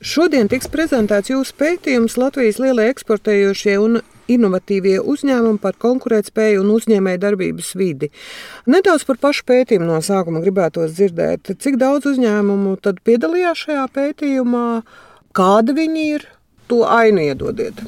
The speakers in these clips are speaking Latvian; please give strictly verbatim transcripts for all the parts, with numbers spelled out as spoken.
Šodien tiks prezentēts jūsu pētījums Latvijas lielie eksportējošie un inovatīvie uzņēmumi par konkurētspēju un uzņēmēju darbības vidi. Nedaudz par pašu pētījumu no sākuma gribētos dzirdēt. Cik daudz uzņēmumu tad piedalījās šajā pētījumā? Kādi viņi ir? To ainu iedodiet.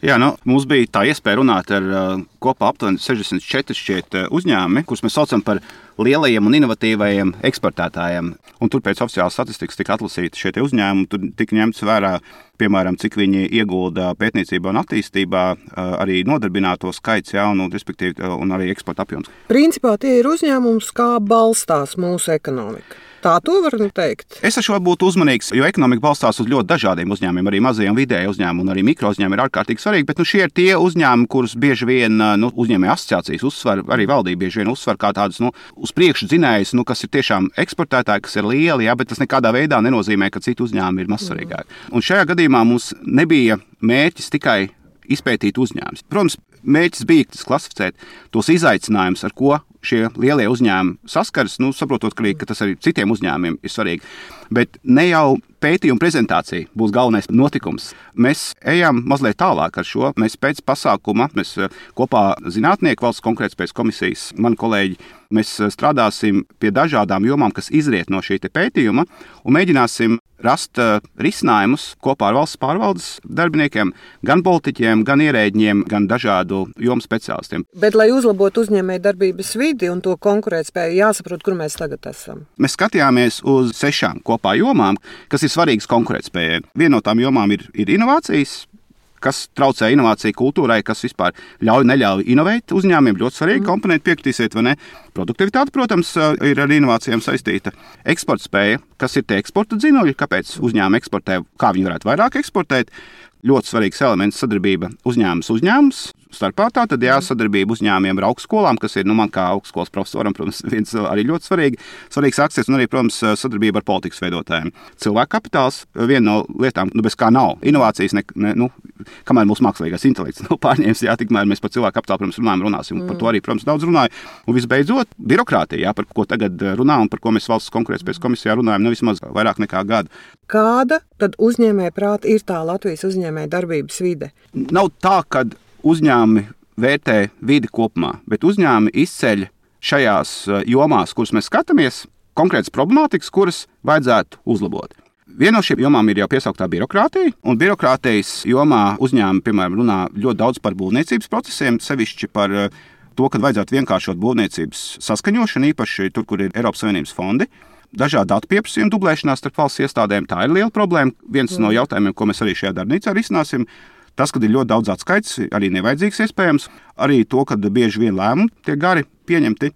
Jā, nu, mums bija tā iespēja runāt ar uh, kopā aptuveni sešdesmit četri šķiet uh, uzņēmumi, kurus mēs saucam par lielajiem un inovatīvajiem eksportētājiem. Un tur pēc oficiālas statistikas tika atlasīti šie uzņēmumi, tur tika ņemts vērā, piemēram, cik viņi iegulda pētniecībā un attīstībā, uh, arī nodarbināto skaits, jā, un, respektīvi, uh, un arī eksporta apjoms. Principā tie ir uzņēmums, kā balstās mūsu ekonomika. Tā to var teikt. Es ar šo būtu uzmanīgs, jo ekonomika balstās uz ļoti dažādiem uzņēmumiem, arī mazie un vidēji uzņēmumi, un arī mikro uzņēmumi ir ārkārtīgi svarīgi, bet nu, šie ir tie uzņēmumi, kurus bieži vien nu, uzņēmēju asociācijas uzsver, arī valdība bieži vien uzsver kā tādus nu, uz priekšu dzinējus, nu, kas ir tiešām eksportētāji, kas ir lieli, jā, bet tas nekādā veidā nenozīmē, ka citi uzņēmumi ir mazsvarīgāki. Un šajā gadījumā mums nebija mērķis tikai izpētīt uzņēmumus. Protams, mērķis bija klasificēt tos izaicinājumus, ar ko šie lielie uzņēmumi saskaras, nu, saprotot, ka tas arī citiem uzņēmumiem ir svarīgi. Bet ne jau pētījuma prezentācija būs galvenais notikums. Mēs ejam mazliet tālāk ar šo. Mēs pēc pasākuma, mēs kopā zinātnieki valsts konkurētspējas komisijas, mani kolēģi, mēs strādāsim pie dažādām jomām, kas izriet no šī pētījuma, un mēģināsim rast risinājumus kopā ar valsts pārvaldes darbiniekiem, gan politiķiem, gan ierēģiem, gan dažādu jomu speciālistiem. Bet, lai uzlabotu uzņēmēju darbības vidi un to konkurētspēju, jāsaprot, kur mēs tagad esam. Mēs skatījāmies uz sešām kopā jomām, kas ir svarīgas konkurētspējai. Viena no tām jomām ir, ir inovācijas, kas traucē inovāciju kultūrai, kas vispār ļauj neļauj inovēt uzņēmumiem. Ļoti svarīgi mm. komponenti, piekritīsiet vai ne. Produktivitāte, protams, ir ar inovācijām saistīta. Eksporta spēja, kas ir tie eksporta dzinuļi, kāpēc uzņēmumi eksportē, kā viņi varētu vairāk eksportēt. Ļoti svarīgs elements sadarbība uzņēmums uzņēmums. Starpā tā tad jā, sadarbība uzņēmumiem ar augstskolām, kas ir, nu, man kā augstskolas profesoram, protams, viens arī ļoti svarīgi, svarīgs akcents, un arī, protams, sadarbība ar politikas veidotājiem. Cilvēku kapitāls, viena no lietām, nu, bez kā nav. Inovācijas, ne, ne, nu, kamēr mūsu mākslīgais intelekts nav pārņēmis, jā, tikmēr mēs par cilvēku kapitālu, protams, runājam, runāsim, un par to arī, protams, daudz runāju. Un visbeidzot, birokrātija, jā, par ko tagad runā un par ko mēs valsts konkurētspējas komisijā runājam, nu, vismaz vairāk nekā gadu. Kāda tad uzņēmēja prāta ir tā Latvijas uzņēmēja darbības vide? Nav tā, kad uzņēmumi vērtē vidi kopumā, bet uzņēmumi izceļ šajās jomās, kuras mēs skatāmies, konkrētas problemātikas, kuras vajadzētu uzlabot. Viena no šīm jomām ir jau piesauktā birokrātija, un birokrātijas jomā uzņēmumi, piemēram, runā ļoti daudz par būvniecības procesiem, sevišķi par to, ka vajadzētu vienkāršot būvniecības saskaņošanu, īpaši tur, kur ir Eiropas Savienības fondi. Dažādi datu pieprasījumi dublēšanās starp valsts iestādēm, tā ir liela problēma. Viens mm. no jautājumiem, ko mēs arī šajā darbnīcā risināsim, tas, ka ir ļoti daudz atskaits, arī nevajadzīgs iespējams, arī to, ka bieži vien lēmumi tiek gari pieņemti.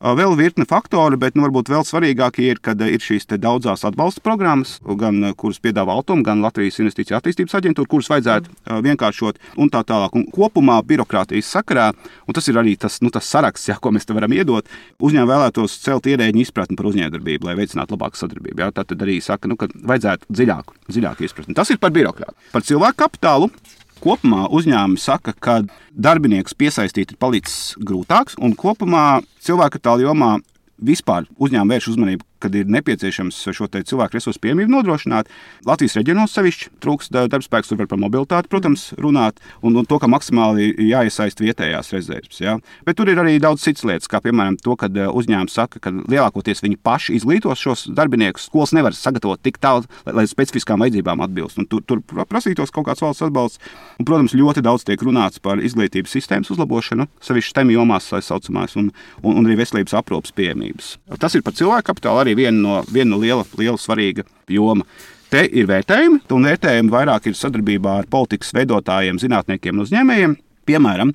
Vēl virkne faktori, bet nu, varbūt vēl svarīgākie ir, kad ir šīs daudzās atbalsta programmas, gan kuras piedāvā Altuma, gan Latvijas Investīciju attīstības aģentūra, kuras vajadzētu mm. vienkāršot un tā tālāk. Un kopumā birokrātijas sakarā, un tas ir arī tas, nu, tas saraksts, jā, ko mēs te varam iedot, uzņēmumi vēlētos celt ierēģiņu izpratni par uzņēmējdarbību, lai veicinātu labāku sadarbību. Jā. Tā tad arī saka, nu, ka vajadzētu dziļāku, dziļāku izpratni. Tas ir par birokrātu. Par cilvēku kapitālu. Kopumā uzņēmumi saka, ka darbiniekus piesaistīt ir palicis grūtāks, un kopumā cilvēku kapitāla jomā vispār uzņēmumi vērš uzmanību, kad ir nepieciešams šo te cilvēku resursu pieejamību nodrošināt. Latvijas reģionos sevišķi trūkst darbspēks, tur var par mobilitāti, protams, runāt, un, un to, ka maksimāli jāiesaist vietējās rezerves. Ja? Bet tur ir arī daudz citas lietas, kā piemēram to, ka uzņēmums saka, ka lielākoties viņi paši izglītos šos darbiniekus. Skolas nevar sagatavot tik tālu, lai, lai specifiskām vajadzībām atbilst. Un tur, tur prasītos kaut kāds valsts atbalsts. Un, protams, ļoti daudz tiek runāts par izglītības sistēmas uzlabošanu, sevišķi STEM jomās, tā saucamās, un, un, un arī veselības aprūpes pieejamības. Tas ir par cilvēku kapitālu arī viena no, viena no liela, liela svarīga joma. Te ir vērtējumi, un vērtējumi vairāk ir sadarbībā ar politikas veidotājiem, zinātniekiem un uzņēmējiem. Piemēram,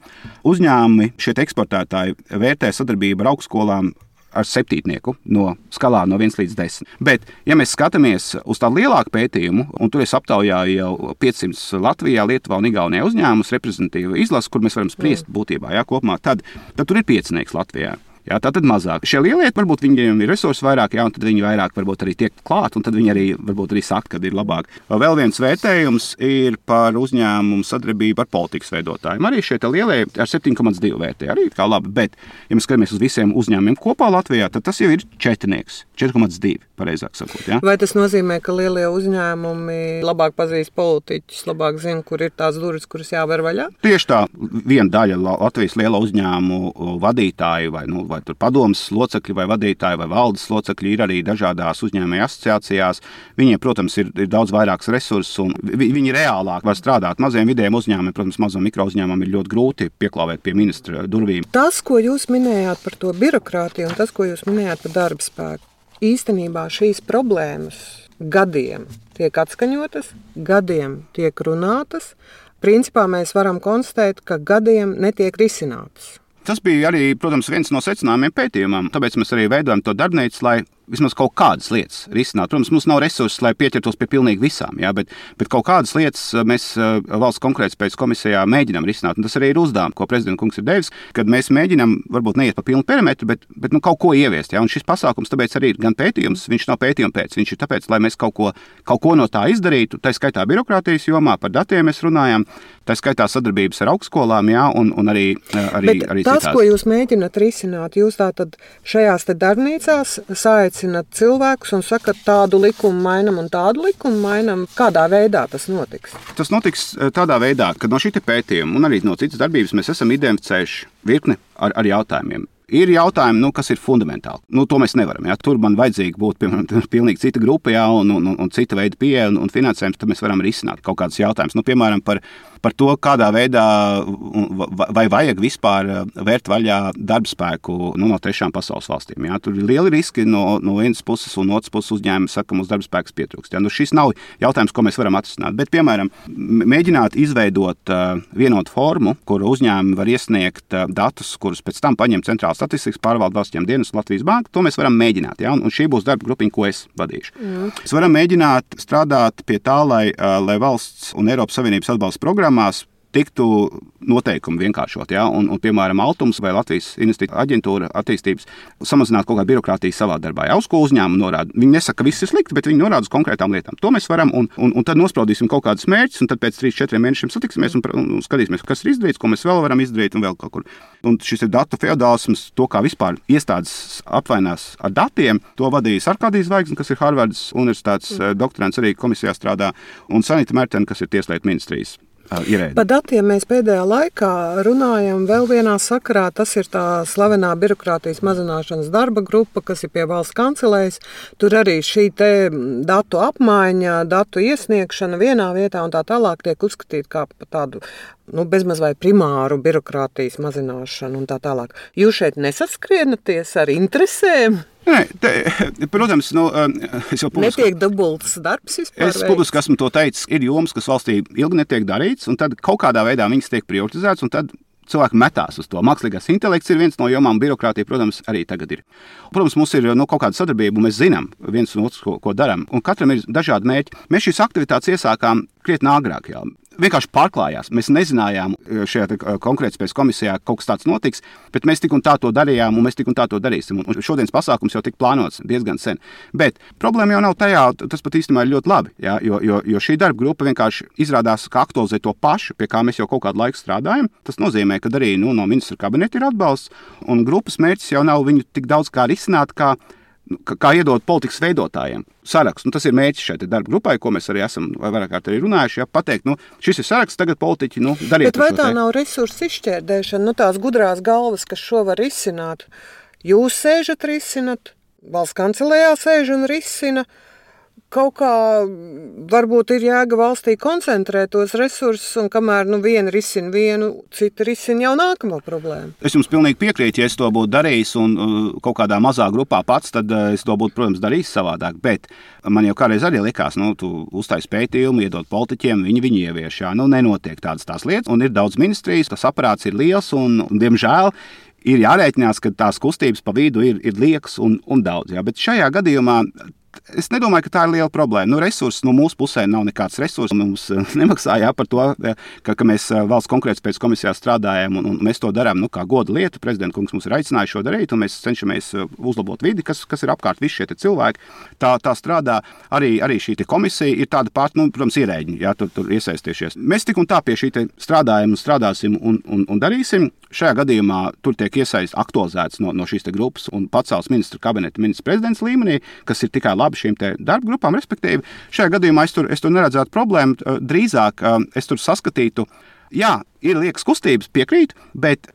uzņēmumi, šie eksportētāji vērtē sadarbību ar augstskolām ar septītnieku no skalā no viens līdz desmit. Bet, ja mēs skatāmies uz tādu lielāku pētījumu, un tur es aptaujāju jau piecsimt Latvijā, Lietuvā un Igaunijā uzņēmumus, reprezentatīvu izlasu, kur mēs varam spriest būtībā, jā, kopumā, tad, tad tur ir piecinieks Latvijā. Jā, tā tad mazāk. Šie lielie, varbūt viņiem ir resursi vairāk, jā, un tad viņi vairāk varbūt arī tiek klāt, un tad viņi arī varbūt arī saka, kad ir labāk. Vēl viens vērtējums ir par uzņēmumu sadarbību ar politikas veidotājiem. Arī šie lielie ar septiņi komats divi vērtē, arī kā labi, bet, ja mēs skatāmies uz visiem uzņēmumiem kopā Latvijā, tad tas jau ir četrnieks, četri komats divi, pareizāk sakot. Jā. Vai tas nozīmē, ka lielie uzņēmumi labāk pazīst politiķus, labāk zina, kur ir tās durvis, kuras jāver vaļā? Tieši tā, viena daļa Latvijas liela uzņēmumu vadītāju vai, nu, vai tur padomas locekļi vai vadītāji vai valdes locekļi ir arī dažādās uzņēmēju asociācijās. Viņiem, protams, ir, ir daudz vairāks resursus un vi, viņi reālāk var strādāt. Maziem vidējiem uzņēmumiem, protams, mazam mikro uzņēmumiem ir ļoti grūti pieklāvēt pie ministra durvīm. Tas, ko jūs minējāt par to birokrātiju un tas, ko jūs minējāt par darba spēku, īstenībā šīs problēmas gadiem tiek atskaņotas, gadiem tiek runātas. Principā mēs varam konstatēt, ka gadiem netiek risinātas. Tas bija arī, protams, viens no secinājumiem pētījumam. Tāpēc mēs arī veidojam to darbnīcu, lai vismaz kaut kādas lietas risinātu. Protams, mums nav resursus, lai pieķertos pie pilnīgi visām, jā, bet, bet kaut kādas lietas mēs valsts konkurētspējas komisijā mēģinām risināt. Un tas arī ir uzdevums, ko prezidenta kungs ir devis, kad mēs mēģinām varbūt neiet pa pilnu perimetru, bet, bet nu, kaut ko ieviest. Jā. Un šis pasākums tāpēc arī ir gan pētījums, viņš nav pētījuma pēc, viņš ir tāpēc, lai mēs kaut ko, kaut ko no tā izdarītu. Tā skaitā birokrātijas jomā, par datiem mēs runājam, tā skaitā sadarbības ar augstskolām, jā, un, un arī, arī, bet arī tas, citās. ko jūs mēģināt risināt, jūs tātad šajās te darbnīcās aicināt cilvēkus un sakat, tādu likumu mainam un tādu likumu mainam. Kādā veidā tas notiks? Tas notiks tādā veidā, ka no šī pētījuma un arī no citas darbības mēs esam identificējuši virkni ar, ar jautājumiem. Ir jautājumi, nu, kas ir fundamentāli. Nu, to mēs nevaram. Jā. Tur man vajadzīgi būt piemēram, pilnīgi cita grupa, jā, un, un, un cita veida pieeja un, un finansējums, tad mēs varam risināt kaut kādus jautājumus. Nu, piemēram, par, par to, kādā veidā vai vajag vispār vērt vaļā darbspēku nu, no trešām pasaules valstīm. Jā. Tur ir lieli riski no, no vienas puses un no otras puses uzņēmumi saka, ka mums darbspēks pietrūkst. Jā. Nu, šis nav jautājums, ko mēs varam atrisināt. Bet, piemēram, mēģināt izveidot uh, vienotu formu, kur uzņēmumi var iesniegt uh, datus, kurus pēc tam paņem centrāls statistikas pārvalde valsts dienas Latvijas banka, to mēs varam mēģināt. Ja? Un, un šī būs darba grupiņa, ko es vadīšu. Mm. Mēs varam mēģināt strādāt pie tā, lai, lai valsts un Eiropas Savienības atbalsta programmās tiktu noteikumi vienkāršot, ja? un, un, piemēram, Altums vai Latvijas investīciju aģentūra attīstības samazināt kaut kādu birokrātiju savā darbā. Ja? Uz ko uzņēmumu norāda? Viņi nesaka, ka viss ir slikti, bet viņi norāda uz konkrētām lietām. To mēs varam, un, un, un tad nospraudīsim kaut kādus mērķus, un tad pēc trīs četriem mēnešiem satiksimies un, un, un skatīsimies, kas ir izdarīts, ko mēs vēl varam izdarīt un vēl kaut kur. Un šis ir datu feodālisms, to, kā vispār iestādes apvainās ar datiem, to vadīja Arkādijs Zvaigzne, kas ir Harvardas universitātes mm. doktorants, arī komisijā strādā, un Sanita Mertena, kas ir Tieslietu ministrijas. Par datiem mēs pēdējā laikā runājam vēl vienā sakarā. Tas ir tā slavenā birokrātijas mazināšanas darba grupa, kas ir pie valsts kancelējas. Tur arī šī te datu apmaiņa, datu iesniegšana vienā vietā un tā tālāk tiek uzskatīta kā tādu nu, bezmaz vai primāru birokrātijas mazināšanu un tā tālāk. Jūs šeit nesaskrienāties ar interesēm? Nē, te, protams, nu, es jau publiski... Netiek dubults darbs vispār? Es publiski esmu to teicis, ir jomas, kas valstī ilgi netiek darīts, un tad kaut kādā veidā viņas tiek prioritizētas, un tad cilvēki metās uz to. Mākslīgais intelekts ir viens no jomām, birokrātija, protams, arī tagad ir. Protams, mums ir nu, kaut kāda sadarbība, un mēs zinām viens un otrs, ko, ko darām, un katram ir dažādi mērķi. Mēs šīs aktivitātes iesākām krietni agrāk, jā. Vienkārši pārklājās. Mēs nezinājām šajā konkurētspējas komisijā kaut kas tāds notiks, bet mēs tik un tā to darījām, un mēs tik un tā to darīsim. Un šodienas pasākums jau tika plānots diezgan sen. Bet problēma jau nav tajā, tas pat īstenībā ir ļoti labi, jā, jo, jo, jo šī darba grupa vienkārši izrādās, ka aktualizē to pašu, pie kā mēs jau kaut kādu laiku strādājam. Tas nozīmē, ka arī nu, no ministra kabineta ir atbalsts, un grupas mērķis jau nav viņu tik daudz kā risināt, kā kā iedot politikas veidotājiem sarakstu. Nu, tas ir mērķis šai darba grupai, ko mēs arī esam vairāk kārt arī runājuši. Ja, pateikt, nu, šis ir saraksts, tagad politiķi nu, dariet. Bet vai tā te. Nav resursu izšķērdēšana, nu, tās gudrās galvas, kas šo var risināt? Jūs sēžat risinat, valsts kancelējā sēž un risina. Kaut kā varbūt ir jēga valstī koncentrēt tos resursus, un kamēr nu, viena risina vienu, cita risina jau nākamo problēmu. Es jums pilnīgi piekrītu, ja es to būtu darījis un uh, kaut kādā mazā grupā pats, tad uh, es to būtu, protams, darījis savādāk. Bet man jau kādreiz arī likās, nu, tu uztais pētījumu, iedod politiķiem, viņi viņi ievieš. Jā, nu, nenotiek tādas tās lietas, un ir daudz ministrijas, tas aparāts ir liels, un, un diemžēl, ir jārēķinās, ka tās kustības pa vidu ir, ir liekas un, un daudz. Jā. Bet šajā gadījumā Es nedomāju, ka tā ir liela problēma. Nu, resursi no mūsu pusē nav nekāds resurss. Mums nemaksā jā, par to, ka, ka mēs valsts konkurētspējas komisijā strādājam, un, un mēs to darām nu, kā goda lietu. Prezidenta kungs mums ir aicinājis šo darīt, un mēs cenšamies uzlabot vidi, kas, kas ir apkārt visi šie cilvēki. Tā, tā strādā arī, arī šī komisija. Ir tāda pārta, nu, protams, ierēģi, jā, tur, tur iesaistījušies. Mēs tik un tā pie šī strādājam, strādāsim un, un, un darīsim. Šajā gadījumā tur tiek iesaistīts, aktualizēts no, no šīs grupas un pacelts ministru kabineta ministrs prezidents līmenī, kas ir tikai labi šīm darba grupām, respektīvi. Šajā gadījumā es tur, es tur neredzētu problēmu. Drīzāk es tur saskatītu, jā, ir liekas kustības, piekrīt, bet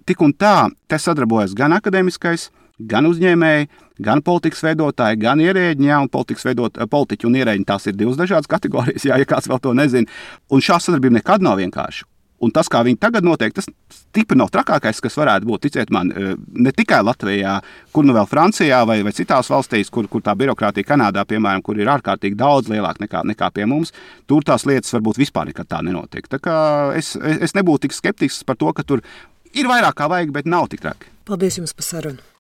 tik un tā te sadarbojas gan akadēmiskais, gan uzņēmēji, gan politikas veidotāji, gan ierēģi, jā, un politikas veidot, politiķi un ierēģi, tās ir divas dažādas kategorijas, jā, ja kāds vēl to nezina. Un šā sadarbība nekad nav vienkārša. Un tas, kā viņi tagad notiek, tas stipri nav trakākais, kas varētu būt, ticiet man, ne tikai Latvijā, kur nu vēl Francijā vai, vai citās valstīs, kur, kur tā birokrātija Kanādā, piemēram, kur ir ārkārtīgi daudz lielāka nekā, nekā pie mums, tur tās lietas varbūt vispār nekad tā nenotiek. Tā kā es, es nebūtu tik skeptisks par to, ka tur ir vairāk kā vajag, bet nav tik traki. Paldies jums par sarunu.